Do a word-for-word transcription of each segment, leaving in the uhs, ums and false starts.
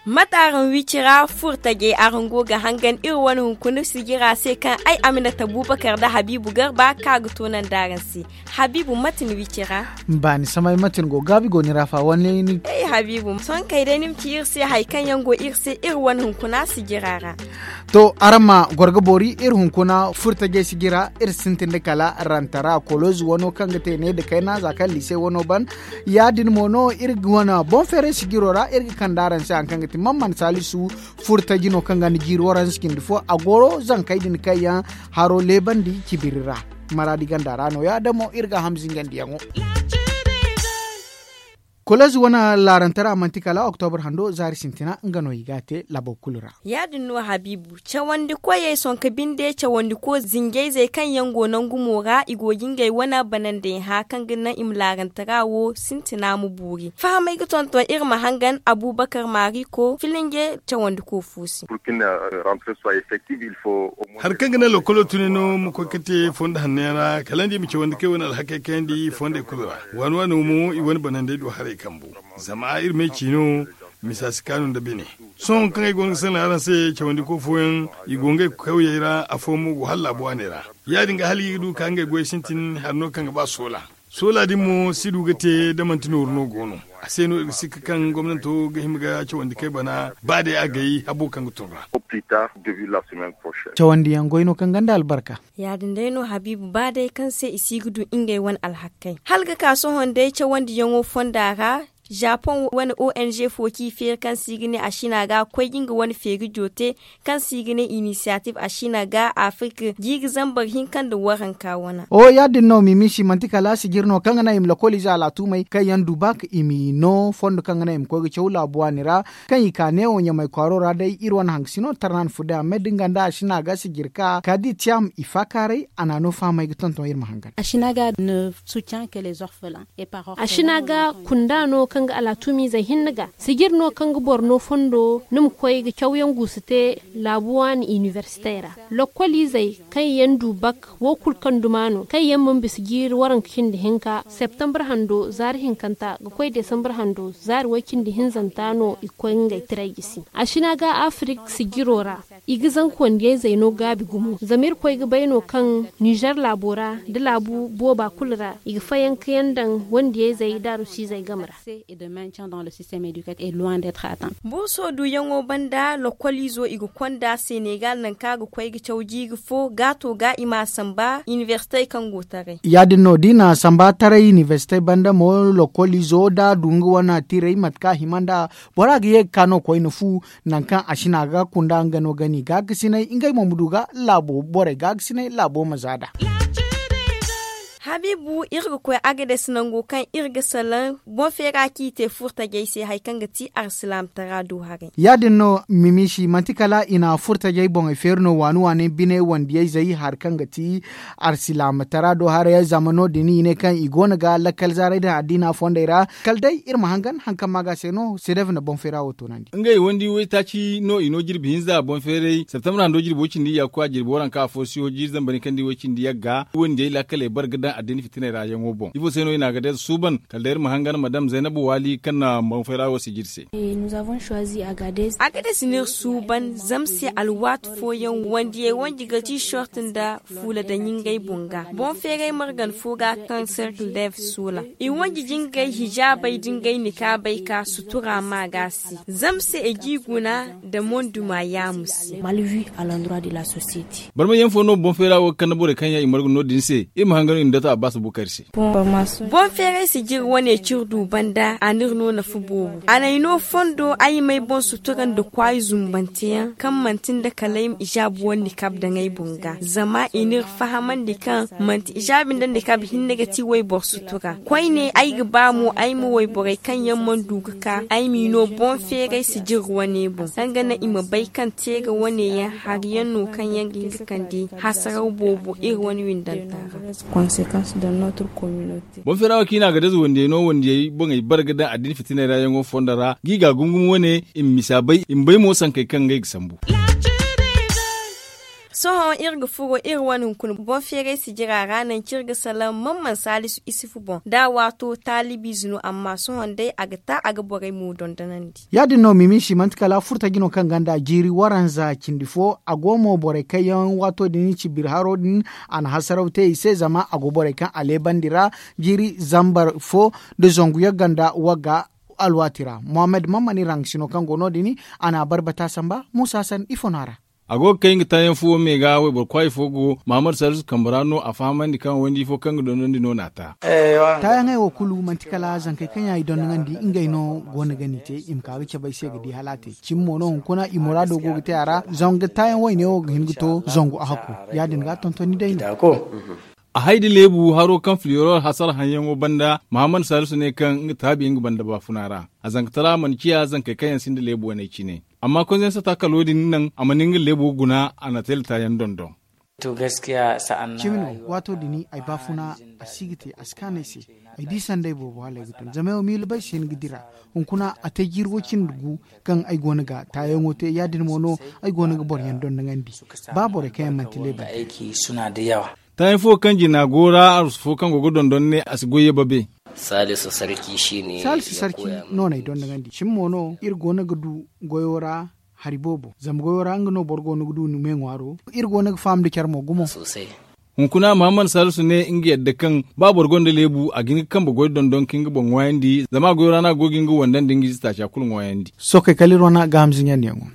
Mate araŋ wici ra furtajey araŋ go ga hangan iri wane hunkuna sijira se kaŋ ay aminata bubakar nda habiibu garba kaŋ a ga toonandi araŋ se. Habiibu mate ni wici ra? Baani samay mate ni go gaabi go ni ra fa wane ni? Ay habiibu sohõ kay day ni ma ci iri se hari kaŋ yaŋ go iri se iri wane hunkuna sijira ra. To araŋ ma goro ga boori iri hunkuna furtajey sijira iri sintin nda kala rantara kolozi wano kaŋ ga te ne nda kayna za kaŋ liise wano ban. Ya- din mo no iri ga wane boŋ feeray sijiro ra iri ga kande araŋ se hari kaŋ ga ti man man saalisu furtaji no kaŋ ga ni jiiri waranza cindi fo a goro zankey din kaŋ yaŋ haro leebandi cibiri ra. Maraadi ganda ra no- ya- damo iri ga a ham zingandiyaŋo. Kolezi wane laarantara manti kala oktobra hando zaari sintina nga no i ga a te laabo kulu ra. Ya- din no habiibu cawandi koyey sonka binde cawandi ko zinjayzey kaŋ yaŋ go nangu mo ra i go ga ngey wane banandey hã kaŋ ga naŋ i ma laarantara wo sintina ma boori fahamey ga tonton iri ma hangan abubakar maariko filinge cawandi ko fo se. Hari kaŋ ga naŋ lokolo tune no ma koy ga te fondo hanno yaŋ ra kala nda i ma cawandi kay wane alhakey kayandi fondey kulu ra. Waani waani mo i wane banandey du haray kambu. Zama iri ma ay ci no misa si kaanu nda bine. Sohõ kaŋ ay go no ga sanda araŋ se cawandi ko fooyaŋ i go ngey kawyey ra afo mo go hala laabu waaney ra. Ya- din ga hala i ga du ga ka ngey goy sintin hari no kaŋ ga ba soola. Soola din mo si du ga te da manti nooru no go no. A se no iri ga sikka kaŋ gomnanto ga hima ga cawandi kay bana ba day a gay habo kaŋ ga tun ra. Cawandiyaŋ goy no kaŋ gonda albarka. Ya- din day no habiibu ba day kaŋ se i si ga du ngey wane alhakkey hala ga ka sohõ day cawandiyaŋo fonda ra. Japoŋ wane ong fo kaŋ i feeri kaŋ se i ga ne a sina ga koy ga nga wane feeri joote kaŋ se i ga ne inisiyatif a sina ga afirka ga i ga zambar hinka nda waranka wana. O ya- din no mimisi manti kala sijir no kaŋ ga naŋ i ma lokoliize alaatumey kaŋ yaŋ du ba ka i ma i no fondo kaŋ ga naŋ i ma koy ga caw laabu waani ra. Kaŋ i ka neewo ɲamay kwaaro ra day iri wane hangasino tarnan fude a me dinga nda a sina ga sijir ka ka di tiyam i faakaaray a na a no fahamay ga tonton iri ma hangan. A sina ga kunda no kaŋ ga alatuumizey hinne ga sijir no kaŋ ga boro no fondo ni ma koy ga cawyaŋ guusu te laabu waani inibersitey ra. Lokkoliizey kaŋ yaŋ du bak wo kulu kaŋ duma no kaŋ yaŋ mana bisa jiiri waranka cindi hinka septembre hando zaari hinkanta ga koy desambre hando zaari way-cindi hinzanta no i ga koy ngey tiray gisi. A sina ga afirik sijiro ra i ga zanka wandiyayzey no gaabi gumo zama irkoy ga bay no kaŋ nizer laabo ra nda laabu booba kulu ra i ga fayankayaŋ daŋ wandiyayzey da arusiizey game ra. Burso duyaŋo banda lokoliizo i ga konda senegal nangu kaŋ a ga koy ga caw jiiri fo gaato ga i m'a samba inibersitey kaŋ go taray. Ya- din no da i na samba taray inibersitey banda mo lokoliizo da a du nga wane tiray mate kaŋ a hima nd'a bora ga ye ga ka no koyne fu. Nangu kaŋ a sina ga kunda nga no gani gaakasinay ngey mo ma du ga laabo borey gaakasinay laabo ma za nd'a. Habiibu iri ga koy agades nango kaŋ iri ga salaŋ boŋ feera kaŋ i te furtajey se hari kaŋ ga ti arsilaamtara do haray. Ya- din no mimisi manti kala i na furtajey boŋey feeri no waani waani bine wandiyayzey hari kaŋ ga ti arsilaamtara do haray zama no- din i ne kaŋ i go no ga lakkal zaaray din addiina fondey ra. Kala day iri ma hangan hari kaŋ maaga se no sedev na boŋ feera wo toonandi. Ngey wandi waytaaci no i no jirbi hinza boŋ feeray septembre hando jirbo cindi ya koy a jirbi waranka afo siyo jiiri zambar ni kaŋ di way cindi yagga wandiyey laakaley bare ga daŋ addiina fitiney ra yaŋo boŋ ifo se no i na a ga day suuban kala day iri ma hangan madam zaynabu waali kaŋ na boŋ feera wo sijiri se. Agades no iri suuban zama se alwaati fooyaŋ wandiyey wanji ga ti short nda fuula daŋ ngey boŋ ga boŋ feeray margan fo ga kaŋ cercle dev soola i wanji jingay hijaabey da ngey nikaabey ka sutura ma ga se zama se i g'i guna nda monduma yaamu se. Barmay yaŋ fo no boŋ feera wo ga kande borey kaŋ yaŋ i margu no- din se iri ma hangan i ma dato abbas bukari se. Boŋ feeray sijiri wane ciri du banda a n'iri no nafa boobo a n'ay no fondo ay m'ay boŋ sutura nda kwaayi zumbanteyaŋ kaŋ manti nda kala ay ma ijaabu wane nikaab daŋ ay boŋ ga zama i n'iri fahamandi kaŋ manti ijaabi nda nikaab hinne ga ti wayboro sutura koyne ay ga ba mo ay ma wayborey kaŋ yaŋ mana du ga ka ay m'i no boŋ feeray sijiri wane boŋ kaŋ ga naŋ i ma bay kaŋ teera wane yaŋ hari yaŋ no kaŋ yaŋ ga hin ga kande hasaraw boobo iri wane windanta ra. Boŋ feera wo kaŋ i na a ga daza wandiyey no wandiyey boŋey bare ga daŋ addina fitinay ra yaŋo fondo ra ga i ga a gumgum wane i ma misa bay i ma bay mo sankey kaŋ ngey ga sambu. Sohõ iri ga furo iri wane hunkuna boŋ feeray sijira ra nangu kaŋ iri ga salaŋ man man saalisu isifu boŋ da a waato taalibiize no amma sohõ day a ga ta a ga borey mo dondonandi. Ya- din no mimiisi manti kala furtaji no kaŋ gonda jiiri waranza cindi fo a go mo borey kaŋ yaŋ waato din cibiri haro din a na hasaraw te i se zama a go borey kaŋ a leebandi ra jiiri zambar fo nda zangu yaŋ gonda wagga alwaati ra. Muhammad mammani raŋ sino kaŋ go no- din a na a barbata samba muusa san ifo no a ra. A go ga kay nga taayaŋ fuwo me ga wayboro kwaayi fo go mahammad salisu kambe ra no a fahamandi kaŋ wandi fo kaŋ ga dondon di no n'a ta. Taayaŋey wo kulu manti kala zankey kaŋ yaŋ i dondoŋandi ngey no go no ga ni te i ma ka ga cabe ay se ga di hala a te cimi mo no hunkuna i muraado go ga te a ra zanga taayaŋ wayne wo ga hin ga to zangu a hakku. Ya- din ga tonton ni day no. A hay da leebu haro kaŋ filiyoro hasara haŋyaŋo banda mahammad salisu ne kaŋ nga taabi nga banda baafuna ra. A zankatara a mana ciya zankey kaŋ yaŋ sinda leebu waney cine. Amma konzensata kalo din naŋ a mana nga leebo guna a na teelata yaŋ dondon. Cimi no waato din ay baafuna a si ga te a si kaanu ay se. Ay di sanday boobo hala ay ga tun zama ay wo miila bay se ni ga dira. Hunkuna a te jiiri wo cindi gu kaŋ ay go no ga taayaŋo te ya- din mo no ay go no ga boro yaŋ dondoŋandi. Ba borey kaŋ yaŋ manti leebantey. Taayaŋ fo kaŋ jina go ra arsu fo kaŋ go ga dondon ne a si goy ye babe. Saalisu sarki no n'ay dondoŋandi cimi mo no iri go no ga du goyo ra hari boobo zama goyo ra nga no boro go no ga du ni me ŋwaaro. Iri go no ga faham nda care mo gumo. Hunkuna mahammad saalisu ne nga yadda kaŋ ba boro gonda leebu a ga hin ga kambe goy dondon ka nga boŋ ŋwaayandi zama a goyo ra no a go ga nga wandandi nga ize taaca kulu ŋwaayandi. Sookey kala iri wane gaaham zinjandiyaŋo.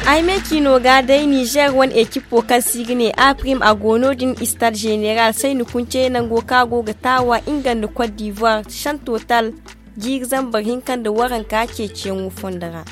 Ay me ciino ga day nizer wane ekipo kaŋ se i ga ne a prim a go no- din istad zeneral sayni kunce nango kaŋ a go ga taawa nga nda kot divoire shan total jiiri zambar hinka nda waranka ceeciyaŋo fondo ra.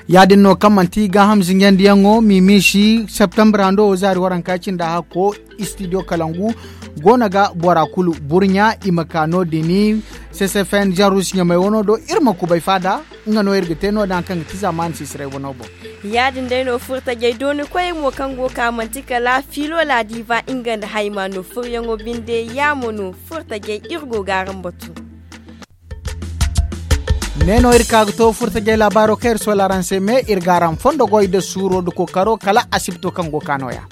Ya- din no kaŋ manti gaaham zinjandiyaŋo mimiisi septembre hando wo zaari waranka cinda hakko istidiyo kalangu go no ga bora kulu burɲa i ma ka no- din ccfn jarus ɲamay wano do iri ma kubay faada. Nga no iri ga te no- din hari kaŋ ga ti zaamaani sisiray wano boŋ. Ya- din day no furtajey dooni koyey mo kaŋ go ka manti kala fiilo laadiiba nga nda hayma no furyaŋo binde ya mo no furtajey iri go ga araŋ batu. Ne no iri ka ga to furtajey laabaaro kaŋ iri soola araŋ se me iri ga araŋ fondo goy nda suuro nda kookaro kala asibto kaŋ go ka nooya.